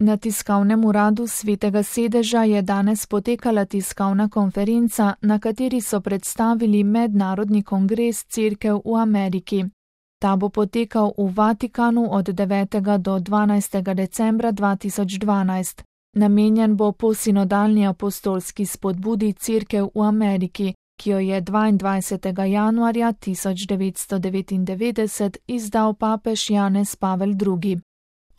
Na tiskovnem uradu Svetega sedeža je danes potekala tiskovna konferenca, na kateri so predstavili Mednarodni kongres Cerkev v Ameriki. Ta bo potekal v Vatikanu od 9. do 12. decembra 2012. Namenjen bo posinodalni apostolski spodbudi Cerkev v Ameriki, ki jo je 22. januarja 1999 izdal papež Janez Pavel II.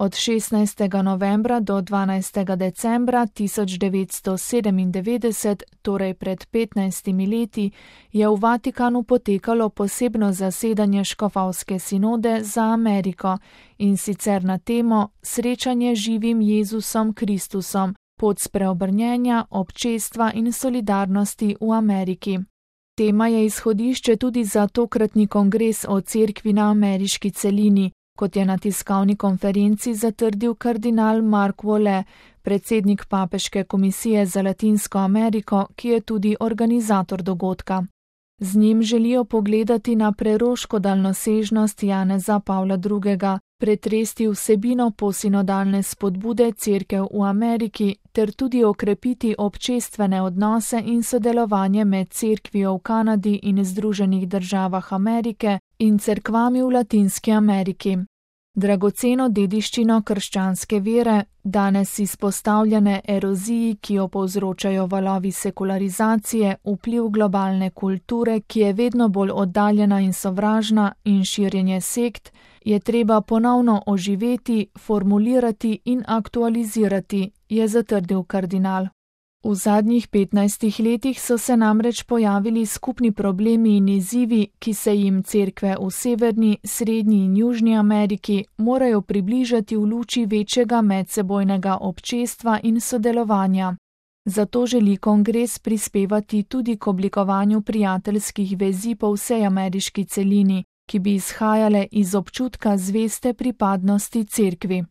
Od 16. novembra do 12. decembra 1997, torej pred 15 leti, je v Vatikanu potekalo posebno zasedanje škofovske sinode za Ameriko, in sicer na temo Srečanje z živim Jezusom Kristusom, pot spreobrnjenja, občestva in solidarnosti v Ameriki. Tema je izhodišče tudi za tokratni kongres o cerkvi na ameriški celini, kot je na tiskovni konferenci zatrdil kardinal Mark Vole, predsednik Papeške komisije za Latinsko Ameriko, ki je tudi organizator dogodka. Z njim želijo pogledati na preroško daljnosežnost Janeza Pavla II., pretresti vsebino posinodalne spodbude Cerkev v Ameriki ter tudi okrepiti občestvene odnose in sodelovanje med cerkvijo v Kanadi in Združenih državah Amerike in cerkvami v Latinski Ameriki. Dragoceno dediščino krščanske vere, danes izpostavljene eroziji, ki jo povzročajo valovi sekularizacije, vpliv globalne kulture, ki je vedno bolj oddaljena in sovražna, in širjenje sekt, je treba ponovno oživeti, formulirati in aktualizirati, je zatrdil kardinal. V zadnjih 15 letih so se namreč pojavili skupni problemi in izzivi, ki se jim cerkve v Severni, Srednji in Južni Ameriki morajo približati v luči večjega medsebojnega občestva in sodelovanja. Zato želi kongres prispevati tudi k oblikovanju prijateljskih vezi po vsej ameriški celini, ki bi izhajale iz občutka zveste pripadnosti cerkvi.